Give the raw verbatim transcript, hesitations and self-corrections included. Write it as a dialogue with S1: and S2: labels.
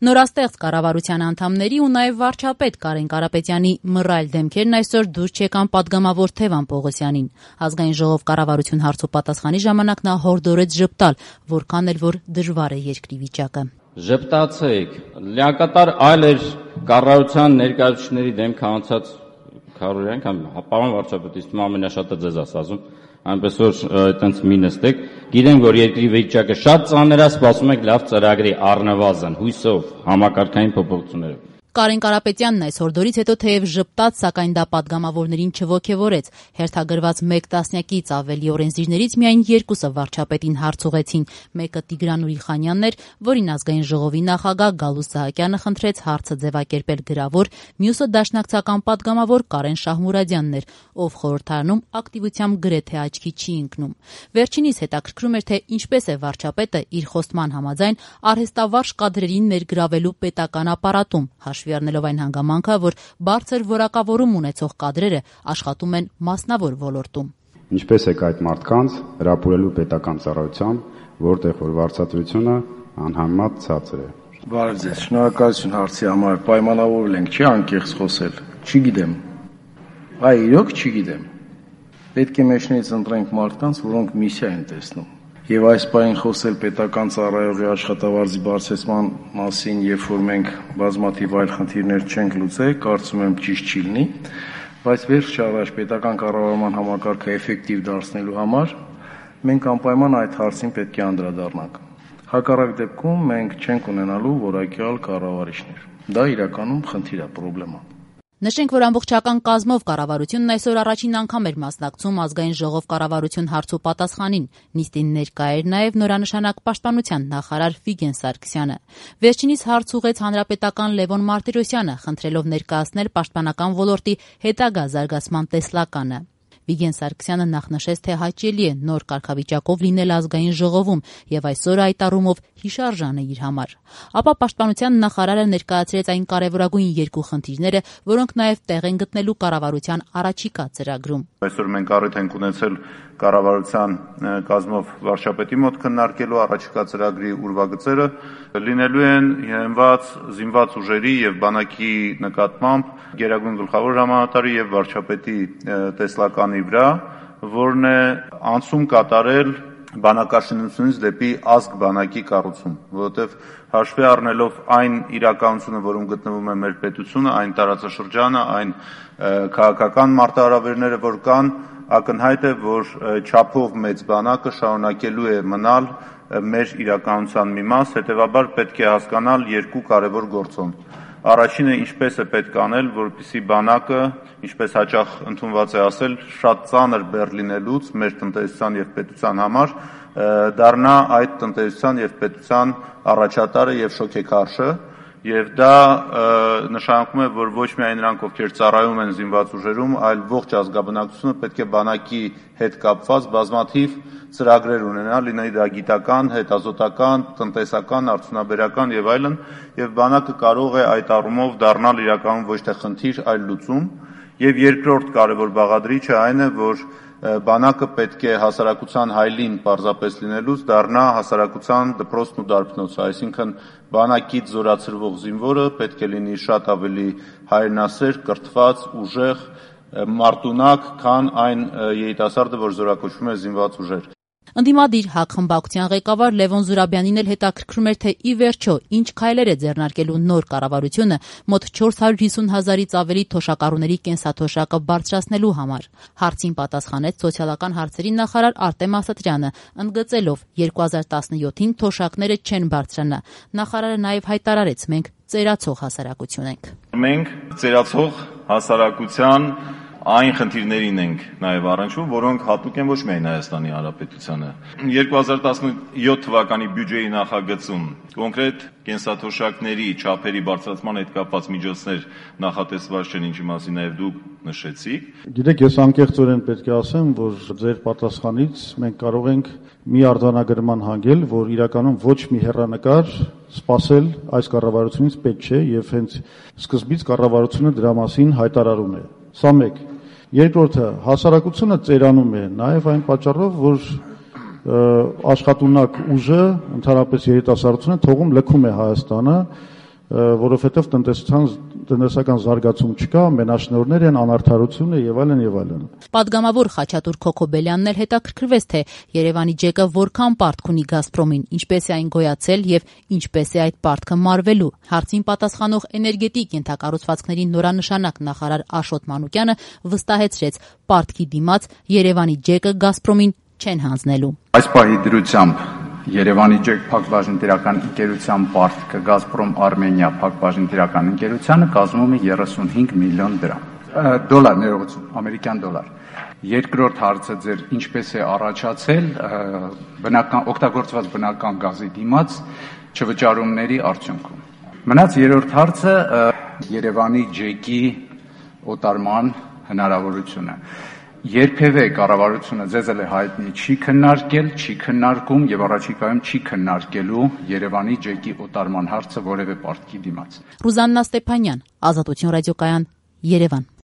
S1: Նորաստեղծ կառավարության անդամների ու նաև վարչապետ Կարեն Կարապետյանի մռայլ դեմքերն այսօր դուրս չեկան պատգամավոր Թևան Պողոսյանին։ Ազգային ժողով կառավարություն հարցու պատասխանի ժամանակ նա հորդորեց ժպտալ, որքան էլ որ դժվար է երկրի վիճակը։
S2: Ժպտացեք, լիակատար այլ էր կառավարության ներկայացուցիչների դեմքը անցած քարորյան կամ պարոն վարչապետից ամենաշատը ձեզ ասում, այնպես որ այդտենց մի նստեք, գիտենք որ երկրի վիճակը շատ ծանր է, սպասում եք լավ ծրագրի առնվազն հույսով համակարգային փոփոխություններով։
S1: Կարեն Կարապետյանն այս հորդորից հետո թեև ժպտաց, սակայն դա պատգամավորներին չոգևորեց։ Հերթագրված մեկ տասնյակից ավելի օրենսդիրներից միայն երկուսը վարչապետին հարց ուղեցին։ Մեկը Տիգրան Ուրիխանյանն էր, որին ազգային ժողովի նախագահ Գալուստ Սահակյանը խնդրեց հարցը ձևակերպել գրավոր, մյուսը դաշնակցական պատգամավոր Կարեն Շահմուրադյանն էր, ով խորհրդարանում ակտիվությամբ գրեթե աչքի չի ընկնում։ Վերջինիս հետաքրքրում էր, թե ինչպես է վարչապետը իր խոստման համաձայն արհեստավարժ կադրերին ներգրավելու պետական ապարատում, հաշվի առնելով այն հանգամանքը, որ բարձր որակավորում ունեցող կադրերը աշխատում են մասնավոր ոլորտում։
S3: Ինչպես է այդ մարդկանց հրապուրելու պետական ծառայությամբ, որտեղ որ վարձատրությունը անհամեմատ ցածր է։
S4: Բարև ձեզ, շնորհակալություն հարցի համար, պայմանավորվել ենք, չի անկեղծ խոսել, չգիտեմ, այ իրոք չգիտեմ, պետք է մեջներից ընտրենք մարդկանց, որոնք միսիա են տեսնում, եւ այս պահին խոսել պետական ծառայողի աշխատավարձի բարձրացման մասին, երբ որ մենք բազմաթիվ այլ խնդիրներ չենք լուծել, կարծում եմ ճիշտ չի լինի, բայց վերջ առաջ պետական կառավարման համակարգը էֆեկտիվ դարձնելու համար մենք անպայման այդ հարցին պետք է անդրադառնանք։ Հակառակ դեպքում մենք չենք ունենալու որակյալ կառավարիչներ։ Դա իրականում խնդիր է, պրոբլեմ է։
S1: Նշենք, որ ամբողջական կազմով կառավարությունն այսօր առաջին անգամ էր մասնակցում ազգային ժողով կառավարություն հարցու պատասխանին։ Նիստին ներկա էր նաև նորանշանակ պաշտպանության նախարար Վիգեն Սարգսյանը։ Վերջինիս հարց ուղղեց հանրապետական Լևոն Մարտիրոսյանը, խնդրելով ներկայացնել պաշտպանական ոլորտի հետագա զարգացման տեսլականը։ Վիգեն Սարգսյանը նախ նշեց, թե հաճելի է նոր կարգավիճակով լինել ազգային ժողովում եւ այսօր այդ առումով հիշարժան է իր համար։ Ապա պաշտպանության նախարարը ներկայացրեց այն կարևորագույն երկու խնդիրները, որոնք նաեւ տեղ են գտնելու կառավարության առաջիկա ծրագրում։
S5: Այսօր մենք առիթ ենք ունեցել կառավարության կազմով վարչապետի մոտ քննարկելու առաջիկա ծրագրի ուրվագծերը, լինելու են հենված զինված ուժերի եւ բանակի նկատմամբ գերագույն գլխավոր հրամանատարի եւ վարչապետի տեսլականի վրա, որն է անցում կատարել բանակաշինությունից դեպի ազգ բանակի կառուցում, որովհետև հաշվի առնելով այն իրականությունը, որում գտնվում է մեր պետությունը, այն տարածաշրջանը, այն քաղաքական մարտահրավերները, որ կան, ակնհայտ է, որ չափով մեծ բանակը շարունակելու է մնալ մեր իրականության մի մաս, հետևաբար պետք է հասկանալ երկու կարևոր գործոն։ Առաջինը ինչպես է պետք անել, որպեսզի բանակը, ինչպես հաճախ ընդունված է ասել, շատ ծանր բեռ լինելուց մեր տնտեսության եւ պետության համար դառնա այդ տնտեսության եւ պետության առաջատարը եւ շոքեքարշը, եւ դա նշանակում է, որ ոչ միայն նրանք, ովքեր ծառայում են զինված ուժերում, այլ ողջ ազգաբնակչությունը պետք է բանակի հետ կապված բազմաթիվ ծրագրեր ունենա, լինի դա գիտական, հետազոտական, տնտեսական, արդյունաբերական եւ այլն, եւ բանակը կարող է այդ առումով դառնալ իրականում ոչ թե խնդիր, այլ լուծում։ Եվ երկրորդ կարևոր բաղադրիչը այն է, որ բանակը պետք է հասարակության հայլին պարզապես լինելուց դառնա հասարակության դպրոցն ու դարբնոցը, այսինքն բանակից զորացրվող զինվորը պետք է լինի շատ ավելի հայրենասեր, կրթված, ուժեղ, մարտունակ, քան այն երիտասարդը, որ զորակոչվում է զինված ուժեր։
S1: Ընդդիմադիր ՀԱԿ խմբակցության ղեկավար Լևոն Զուրաբյանին էլ հետաքրքրում էր, թե ի վերջո ինչ քայլեր է ձեռնարկելու նոր կառավարությունը մոտ չորս հարյուր հիսուն հազարից ավելի թոշակառուների կենսաթոշակը բարձրացնելու համար։ Հարցին պատասխանեց սոցիալական հարցերի նախարար Արտեմ Ասատրյանը, ընդգծելով երկու հազար տասնյոթին թոշակները չեն բարձրանա։ Նախարարը նաև հայտարարեց. մենք ծերացող հասարակություն ենք։
S6: Մենք ծերացող հասարակության այն խնդիրներին ենք նաև առնչվում, որոնք հատուկ են ոչ միայն Հայաստանի Հանրապետությանը։ երկու հազար տասնյոթ թվականի բյուջեի նախագծում կոնկրետ կենսաթոշակների չափերի բարձրացման հետ կապված միջոցներ նախատեսված չեն, ինչի մասին նաև դուք նշեցիք։
S7: Գիտեք, ես անկեղծորեն պետք է ասեմ, որ ձեր պատասխանից մենք կարող ենք մի արձանագրման հանգել, որ իրականում ոչ մի հեռանկար սպասել այս կառավարությունից պետք չէ եւ հենց սկզբից կառավարությունը դրա մասին հայտարարում է։ Սա մեկ։ Երկրորդը, հասարակությունը ծերանում է նաև այն պատճառով, որ աշխատունակ ուժը, ընդհանրապես երիտասարդությունը թողում լքում է Հայաստանը որովհետև տնտեսության տնտեսական զարգացում չկա, մենաշնորհներ են, անարդարություն է եւ այլն եւ այլն։
S1: Պատգամավոր Խաչատուր Քոքոբելյանն էլ հետաքրքրվեց, թե Երևանի ջեկը որքան պարտք ունի Գազպրոմին, ինչպես է այն գոյացել եւ ինչպես է այդ պարտքը մարվելու։ Հարցին պատասխանող էներգետիկ ենթակառուցվածքների նորանշանակ նախարար Աշոտ Մանուկյանը վստահեցրեց, պարտքի դիմաց Երևանի ջեկը Գազպրոմին չեն հանձնելու։
S8: Այս պահի դրությամբ Երևանի ջեք փակbaşıնտիրական ընկերության պարտքը Գազպրոմ Արմենիա փակbaşıնտիրական ընկերությանը կազմում է երեսունհինգ միլիոն դրամ։ Դոլար, ներողություն, ամերիկյան դոլար։ Երկրորդ հարցը ձեր ինչպես է առաջացել բնական օգտագործված բնական գազի դիմաց չվճարումների արդյունքում։ Մնաց երրորդ հարցը Երևանի ջեկի օտարման հնարավորությունը։ Երբևէ կառավարությունը ձեզ էլ է հայտնի չի քննարկել, չի քննարկում եւ առաջիկայում չի քննարկելու Երևանի ջեկի օտարման հարցը որևէ պարտքի դիմաց։
S1: Ռուզաննա Ստեփանյան, Ազատություն ռադիոկայան, Երևան։